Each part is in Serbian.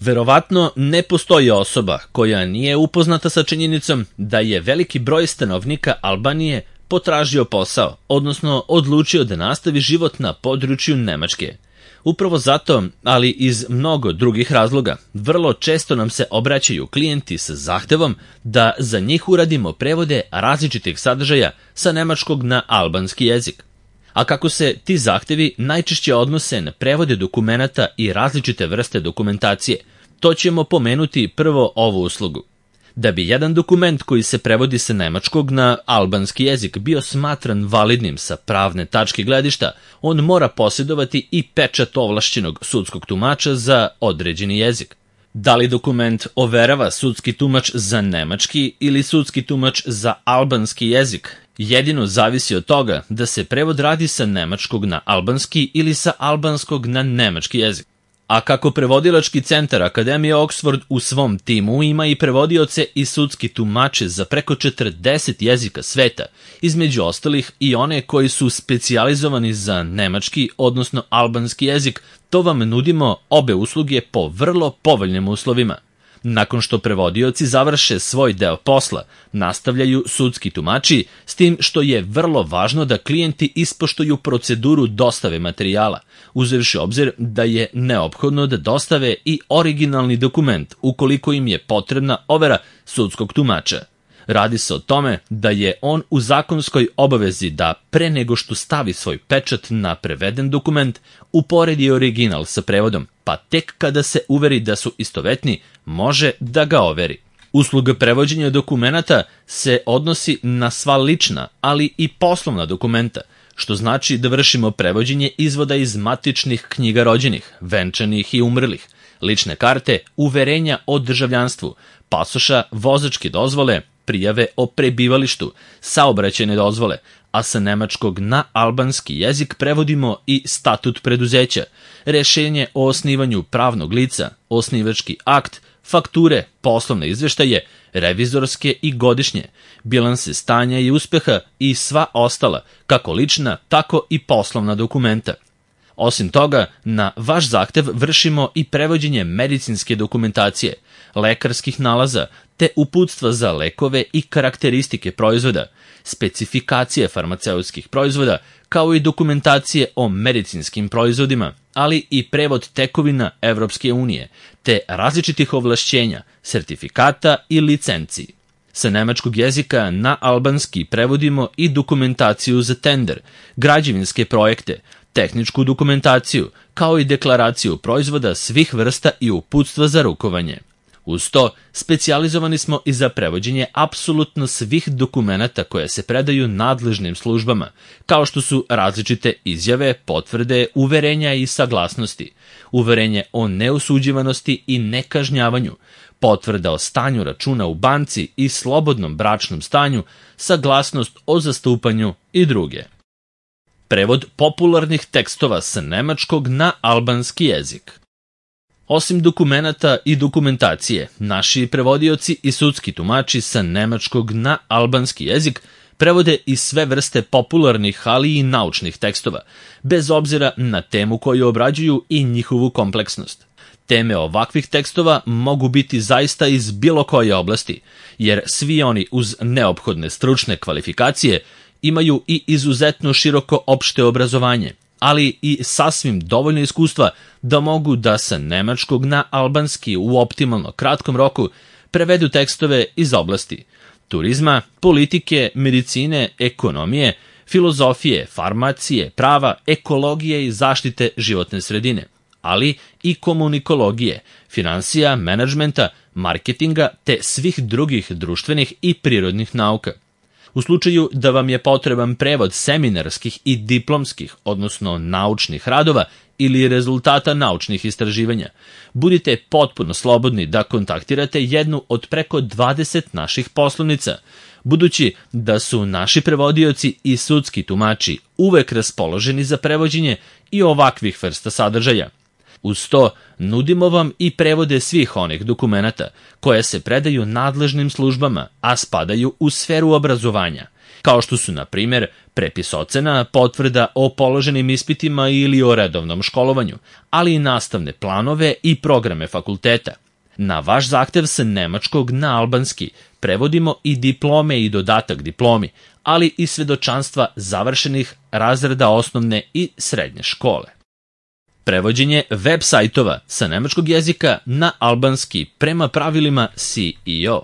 Verovatno ne postoji osoba koja nije upoznata sa činjenicom da je veliki broj stanovnika Albanije potražio posao, odnosno odlučio da nastavi život na području Nemačke. Upravo zato, ali iz mnogo drugih razloga, vrlo često nam se obraćaju klijenti sa zahtevom da za njih uradimo prevode različitih sadržaja sa nemačkog na albanski jezik. A kako se ti zahtevi najčešće odnose na prevode dokumenata i različite vrste dokumentacije, to ćemo pomenuti prvo ovu uslugu. Da bi jedan dokument koji se prevodi sa nemačkog na albanski jezik bio smatran validnim sa pravne tačke gledišta, on mora posjedovati i pečat ovlašćenog sudskog tumača za određeni jezik. Da li dokument overava sudski tumač za nemački ili sudski tumač za albanski jezik, jedino zavisi od toga da se prevod radi sa nemačkog na albanski ili sa albanskog na nemački jezik. A kako prevodilački centar Akademije Oxford u svom timu ima i prevodioce i sudski tumače za preko 40 jezika sveta, između ostalih i one koji su specijalizovani za nemački, odnosno albanski jezik, to vam nudimo obe usluge po vrlo povoljnim uslovima. Nakon što prevodioci završe svoj deo posla, nastavljaju sudski tumači, s tim što je vrlo važno da klijenti ispoštuju proceduru dostave materijala, uzevši obzir da je neophodno da dostave i originalni dokument ukoliko im je potrebna overa sudskog tumača. Radi se o tome da je on u zakonskoj obavezi da pre nego što stavi svoj pečat na preveden dokument, uporedi original sa prevodom, pa tek kada se uveri da su istovetni, može da ga overi. Usluga prevođenja dokumenata se odnosi na sva lična, ali i poslovna dokumenta, što znači da vršimo prevođenje izvoda iz matičnih knjiga rođenih, venčanih i umrlih, lične karte, uverenja o državljanstvu, pasoša, vozačke dozvole, prijave o prebivalištu, saobraćajne dozvole, a sa nemačkog na albanski jezik prevodimo i statut preduzeća, rešenje o osnivanju pravnog lica, osnivački akt, fakture, poslovne izveštaje, revizorske i godišnje, bilanse stanja i uspeha i sva ostala, kako lična, tako i poslovna dokumenta. Osim toga, na vaš zahtev vršimo i prevođenje medicinske dokumentacije, lekarskih nalaza, te uputstva za lekove i karakteristike proizvoda, specifikacije farmaceutskih proizvoda, kao i dokumentacije o medicinskim proizvodima, ali i prevod tekovina Evropske unije, te različitih ovlašćenja, sertifikata i licenciji. Sa nemačkog jezika na albanski prevodimo i dokumentaciju za tender, građevinske projekte, tehničku dokumentaciju, kao i deklaraciju proizvoda svih vrsta i uputstva za rukovanje. Uz to, specijalizovani smo i za prevođenje apsolutno svih dokumenata koje se predaju nadležnim službama, kao što su različite izjave, potvrde, uverenja i saglasnosti, uverenje o neosuđivanosti i nekažnjavanju, potvrda o stanju računa u banci i slobodnom bračnom stanju, saglasnost o zastupanju i druge. Prevod popularnih tekstova sa nemačkog na albanski jezik. Osim dokumenata i dokumentacije, naši prevodioci i sudski tumači sa nemačkog na albanski jezik prevode i sve vrste popularnih, ali i naučnih tekstova, bez obzira na temu koju obrađuju i njihovu kompleksnost. Teme ovakvih tekstova mogu biti zaista iz bilo koje oblasti, jer svi oni uz neophodne stručne kvalifikacije imaju i izuzetno široko opšte obrazovanje, ali i sasvim dovoljno iskustva da mogu da sa nemačkog na albanski u optimalno kratkom roku prevedu tekstove iz oblasti turizma, politike, medicine, ekonomije, filozofije, farmacije, prava, ekologije i zaštite životne sredine, ali i komunikologije, finansija, menadžmenta, marketinga te svih drugih društvenih i prirodnih nauka. U slučaju da vam je potreban prevod seminarskih i diplomskih, odnosno naučnih radova ili rezultata naučnih istraživanja, budite potpuno slobodni da kontaktirate jednu od preko 20 naših poslovnica, budući da su naši prevodioci i sudski tumači uvek raspoloženi za prevođenje i ovakvih vrsta sadržaja. Uz to, nudimo vam i prevode svih onih dokumenata koje se predaju nadležnim službama, a spadaju u sferu obrazovanja, kao što su, na primjer, prepis ocena, potvrda o položenim ispitima ili o redovnom školovanju, ali i nastavne planove i programe fakulteta. Na vaš zahtev sa nemačkog na albanski prevodimo i diplome i dodatak diplomi, ali i svedočanstva završenih razreda osnovne i srednje škole. Prevođenje web sajtova sa nemačkog jezika na albanski prema pravilima CEO.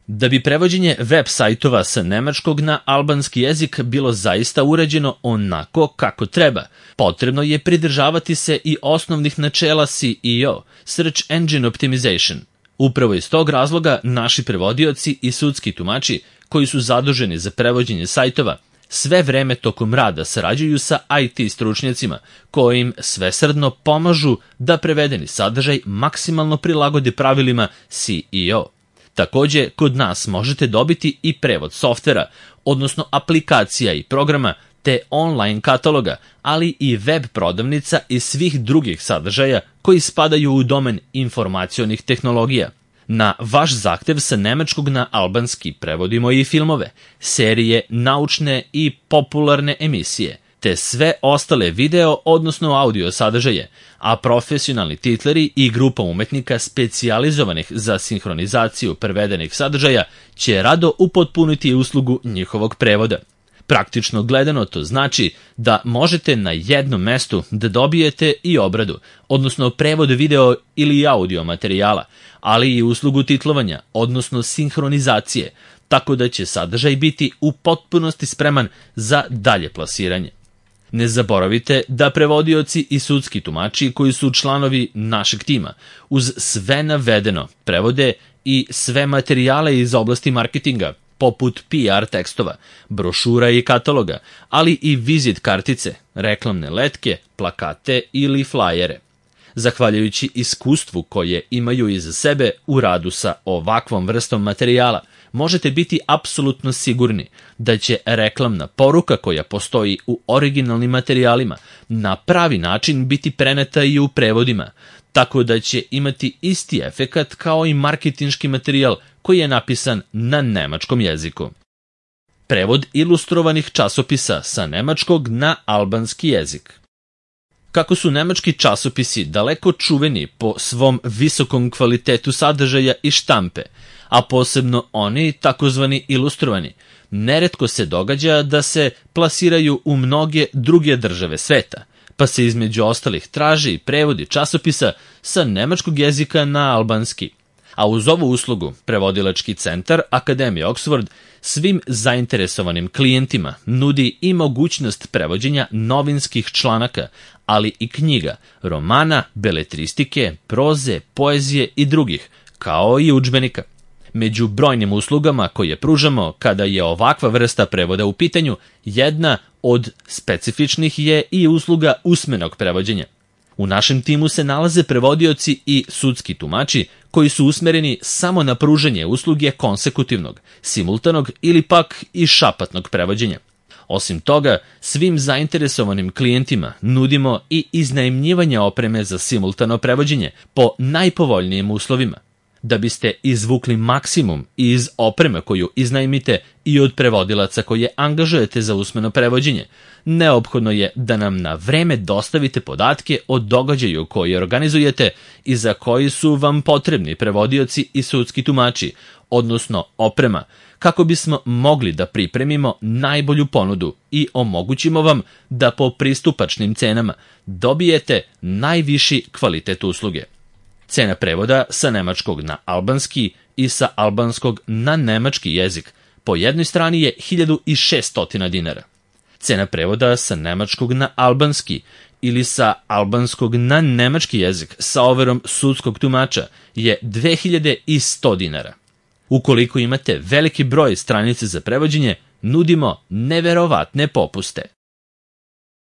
Da bi prevođenje web sajtova sa nemačkog na albanski jezik bilo zaista uređeno onako kako treba, potrebno je pridržavati se i osnovnih načela SEO, Search Engine Optimization. Upravo iz tog razloga naši prevodioci i sudski tumači koji su zaduženi za prevođenje sajtova sve vreme tokom rada sarađuju sa IT stručnjacima koji im svesrdno pomažu da prevedeni sadržaj maksimalno prilagode pravilima SEO. Takođe, kod nas možete dobiti i prevod softvera, odnosno aplikacija i programa, te online kataloga, ali i web prodavnica i svih drugih sadržaja koji spadaju u domen informacionih tehnologija. Na vaš zahtev sa nemačkog na albanski prevodimo i filmove, serije, naučne i popularne emisije, te sve ostale video, odnosno audio sadržaje, a profesionalni titleri i grupa umetnika specijalizovanih za sinhronizaciju prevedenih sadržaja će rado upotpuniti uslugu njihovog prevoda. Praktično gledano to znači da možete na jednom mestu da dobijete i obradu, odnosno prevod video ili audio materijala, ali i uslugu titlovanja, odnosno sinhronizacije, tako da će sadržaj biti u potpunosti spreman za dalje plasiranje. Ne zaboravite da prevodioci i sudski tumači koji su članovi našeg tima uz sve navedeno prevode i sve materijale iz oblasti marketinga, poput PR tekstova, brošura i kataloga, ali i vizit kartice, reklamne letke, plakate ili flajere. Zahvaljujući iskustvu koje imaju iza sebe u radu sa ovakvom vrstom materijala, možete biti apsolutno sigurni da će reklamna poruka koja postoji u originalnim materijalima na pravi način biti preneta i u prevodima, tako da će imati isti efekat kao i marketinški materijal koji je napisan na nemačkom jeziku. Prevod ilustrovanih časopisa sa nemačkog na albanski jezik. Kako su nemački časopisi daleko čuveni po svom visokom kvalitetu sadržaja i štampe, a posebno oni takozvani ilustrovani, neretko se događa da se plasiraju u mnoge druge države sveta, pa se između ostalih traži i prevodi časopisa sa nemačkog jezika na albanski. A uz ovu uslugu prevodilački centar Akademije Oxford svim zainteresovanim klijentima nudi i mogućnost prevođenja novinskih članaka, ali i knjiga, romana, beletristike, proze, poezije i drugih, kao i udžbenika. Među brojnim uslugama koje pružamo kada je ovakva vrsta prevoda u pitanju, jedna od specifičnih je i usluga usmenog prevođenja. U našem timu se nalaze prevodioci i sudski tumači koji su usmereni samo na pružanje usluge konsekutivnog, simultanog ili pak i šapatnog prevođenja. Osim toga, svim zainteresovanim klijentima nudimo i iznajmljivanje opreme za simultano prevođenje po najpovoljnijim uslovima. Da biste izvukli maksimum iz opreme koju iznajmite i od prevodilaca koje angažujete za usmeno prevođenje, neophodno je da nam na vreme dostavite podatke o događaju koji organizujete i za koji su vam potrebni prevodioci i sudski tumači, odnosno oprema, kako bismo mogli da pripremimo najbolju ponudu i omogućimo vam da po pristupačnim cenama dobijete najviši kvalitet usluge. Cena prevoda sa nemačkog na albanski i sa albanskog na nemački jezik po jednoj strani je 1600 dinara. Cena prevoda sa nemačkog na albanski ili sa albanskog na nemački jezik sa overom sudskog tumača je 2100 dinara. Ukoliko imate veliki broj stranice za prevođenje, nudimo neverovatne popuste.